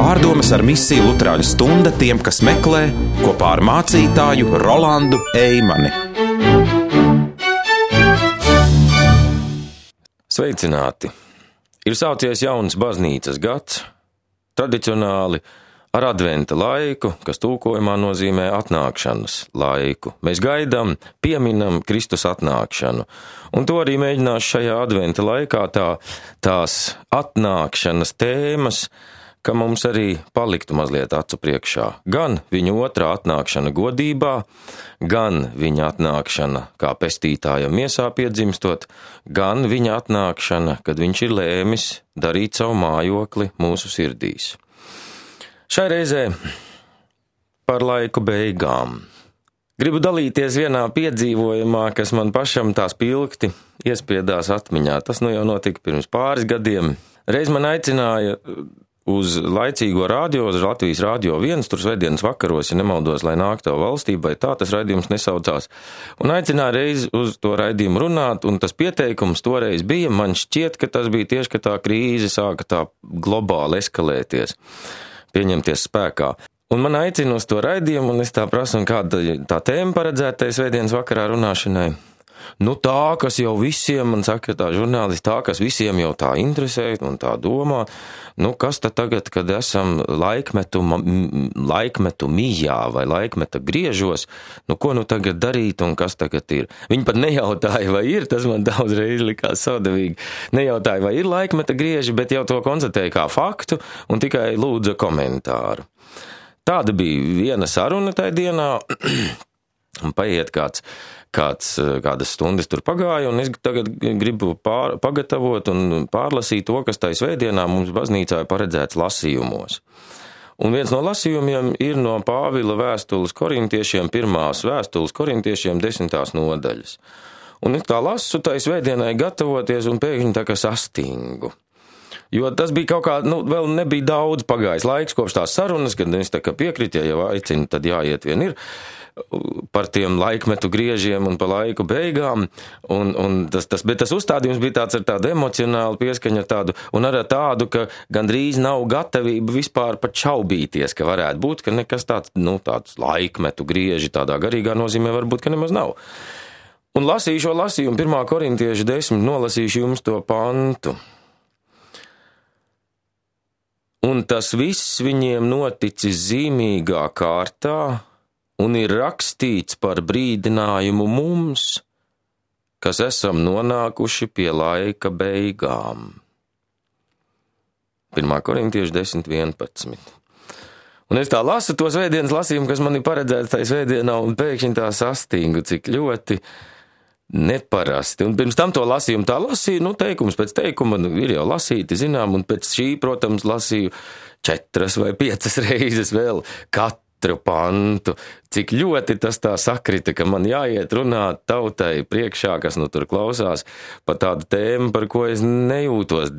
Pārdomas ar misiju Luterāņu stunda tiem, kas meklē, kopā ar mācītāju Rolandu Eimani. Sveicināti! Ir sācies jauns baznīcas gads, tradicionāli ar adventa laiku, kas tulkojumā nozīmē atnākšanas laiku. Mēs gaidām, pieminam Kristus atnākšanu. Un to arī mēģināšu šajā adventa laikā tās atnākšanas tēmas, ka mums arī paliktu mazliet acu priekšā. Gan viņa otrā atnākšana godībā, gan viņa atnākšana kā pestītājam miesā piedzimstot, gan viņa atnākšana, kad viņš ir lēmis darīt savu mājokli mūsu sirdīs. Šai reizē par laiku beigām. Gribu dalīties vienā piedzīvojumā, kas man pašam tā spilgti iespiedās atmiņā. Tas nu jau notika pirms pāris gadiem. Reiz man aicināja uz laicīgo radio, uz Latvijas Radio 1, tur svētdienas vakaros, ja nemaldos, lai nāk tavu valstībai, tā tas raidījums nesaucās. Un aicināja reiz uz to raidījumu runāt, un tas pieteikums toreiz bija, man šķiet, ka tas bija tieši, ka tā krīze sāka tā globāli eskalēties, pieņemties spēkā. Un man aicina uz to raidījumu, un es tā prasu, un kāda tā tēma paredzētai svētdienas vakarā runāšanai. Nu tā, kas jau visiem, man saka tā žurnālisti, tā, kas visiem jau tā interesē un tā domā, nu kas tad tagad, kad esam laikmetu mijā vai laikmeta griežos, nu ko nu tagad darīt un kas tagad ir? Viņi pat nejautāja, vai ir, tas man daudz reiz likās saudavīgi, nejautāja, vai ir laikmeta grieži, bet jau to konstatēja kā faktu un tikai lūdza komentāru. Tāda bija viena saruna tajā dienā, un paiet kādas stundas tur pagāja, un es tagad gribu pagatavot un pārlasīt to, kas tai svētdienā mums baznīcā ir paredzēts lasījumos. Un viens no lasījumiem ir no Pāvila vēstules korintiešiem, pirmās vēstules korintiešiem 10. nodaļas. Un es tā lasu tai svētdienai gatavoties un pēkšņi tā kā sastingu. Jo tas bija kaut kā, vēl nebija daudz pagājis laiks kopš tās sarunas, kad es tā kā piekrītu, ja jau aicinu, tad jāiet vien ir par tiem laikmetu griežiem un par laiku beigām, bet tas uzstādījums bija tāds ar tādu emocionālu pieskaņu tādu, un ar tādu, ka gandrīz nav gatavība vispār pat šaubīties, ka varētu būt, ka nekas tāds laikmetu grieži tādā garīgā nozīmē varbūt, ka nemaz nav. Un lasīju šo lasījumu 1. korintiešu 10, nolasīšu jums to pantu. Un tas viss viņiem noticis zīmīgā kārtā, un ir rakstīts par brīdinājumu mums, kas esam nonākuši pie laika beigām. 1. korintiešu 10, 11. Un es tā lasu to svētdienas lasījumu, kas man ir paredzēts tajā svētdienā, un pēkšņi tā sastingu, cik ļoti neparasti. Un pirms tam to lasījumu tā lasīju, teikums pēc teikuma ir jau lasīti, zinām, un pēc šī, protams, lasīju 4 vai 5 reizes vēl katru pantu, cik ļoti tas tā sakrita, ka man jāiet runāt tautai priekšā, kas tur klausās, par tādu tēmu, par ko es nejūtos,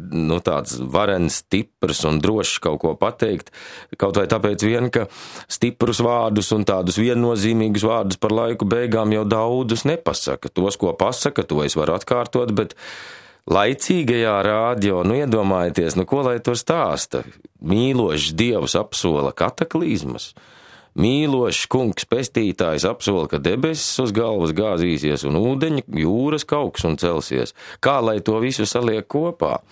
tāds varens, stiprs un drošs kaut ko pateikt, kaut vai tāpēc vien, ka stiprus vārdus un tādus viennozīmīgus vārdus par laiku beigām jau daudzus nepasaka. Tos, ko pasaka, to es varu atkārtot, bet laicīgajā radio, iedomājieties, ko lai tur stāsta? Mīlošs Dievs apsola kataklizmas, mīlošs kungs pestītājs apsola, ka debesis uz galvas gāzīsies un ūdeņi jūras kauks un celsies. Kā lai to visu saliek kopā?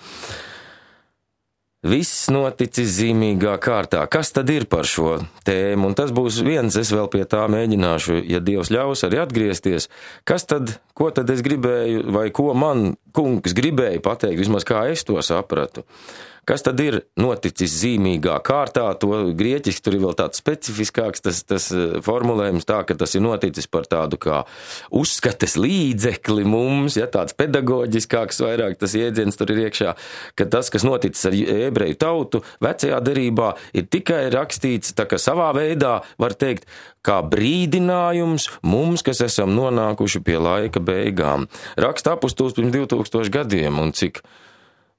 Viss noticis zīmīgā kārtā. Kas tad ir par šo tēmu? Un tas būs viens, es vēl pie tā mēģināšu, ja Dievs ļaus arī atgriezties. Ko tad es gribēju, vai ko man kungs gribēja pateikt, vismaz kā es to sapratu? Kas tad ir noticis zīmīgā kārtā? To grieķiski tur ir vēl tāds specifiskāks tas formulējums tā, ka tas ir noticis par tādu kā uzskates līdzekli mums, tāds pedagoģiskāks vairāk tas jēdziens tur ir iekšā, ka tas, kas noticis ar ebreju tautu vecajā derībā, ir tikai rakstīts tā kā savā veidā, var teikt, kā brīdinājums mums, kas esam nonākuši pie laika beigām. Raksta apustulis pirms 2000 gadiem, un cik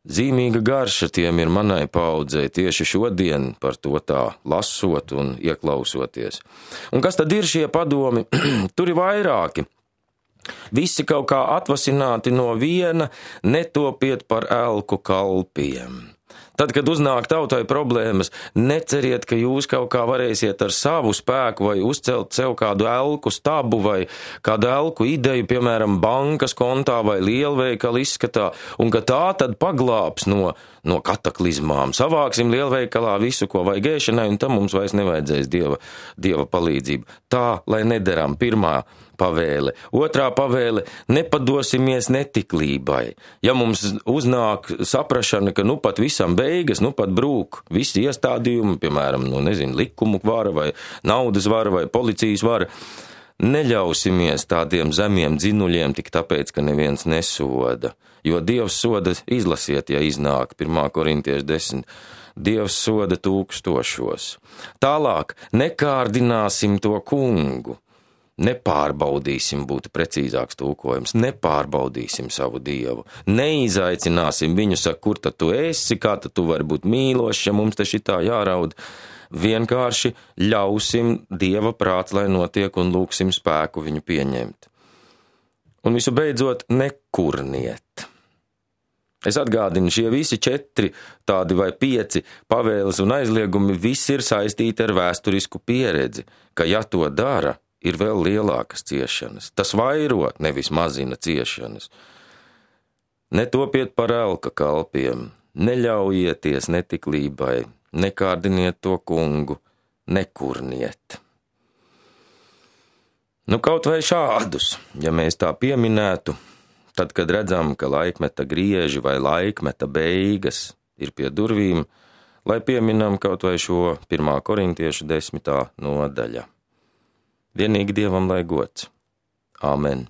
zīmīga garša tiem ir manai paudzei tieši šodien par to tā lasot un ieklausoties. Un kas tad ir šie padomi? Tur ir vairāki. Visi kaut kā atvasināti no viena, netopiet par elku kalpiem. Tad, kad uznāk tautai problēmas, neceriet, ka jūs kaut kā varēsiet ar savu spēku vai uzcelt sev kādu elku stabu vai kādu elku ideju, piemēram, bankas kontā vai lielveikala izskatā, un ka tā tad paglābs no kataklizmām. Savāksim lielveikalā visu, ko vajag ēšanai, un tam mums vairs nevajadzēs dieva palīdzību. Tā, lai nederam, pirmā pavēle. Otrā pavēle – nepadosimies netiklībai. Ja mums uznāk saprašana, ka pat visam beigas, pat brūk visi iestādījumi, piemēram, likumu vara vai naudas vara vai policijas vara, neļausimies tādiem zemiem dzinuļiem tik tāpēc, ka neviens nesoda. Jo Dievs soda, izlasiet, ja iznāk 1. Korintiešu 10. Dievs soda 1000. Tālāk, nekārdināsim to kungu. Nepārbaudīsim, būtu precīzāks tulkojums, nepārbaudīsim savu Dievu, neizaicināsim viņu, saka, kur tad tu esi, kā tad tu vari būt mīlošs, ja mums te šitā jāraud. Vienkārši ļausim Dieva prāts, lai notiek, un lūksim spēku viņu pieņemt. Un visu beidzot, nekurniet. Es atgādinu, šie visi 4 tādi vai 5 pavēles un aizliegumi visi ir saistīti ar vēsturisku pieredzi, ka ja to dara, ir vēl lielākas ciešanas. Tas vairo, nevis mazina ciešanas. Netopiet par elka kalpiem, neļaujieties netiklībai, nekārdiniet to kungu, nekurniet. Kaut vai šādus, ja mēs tā pieminētu, tad, kad redzam, ka laikmeta grieži vai laikmeta beigas ir pie durvīm, lai pieminam kaut vai šo 1. Korintiešu 10. nodaļa. Vienīgi Dievam lai gods. Āmen.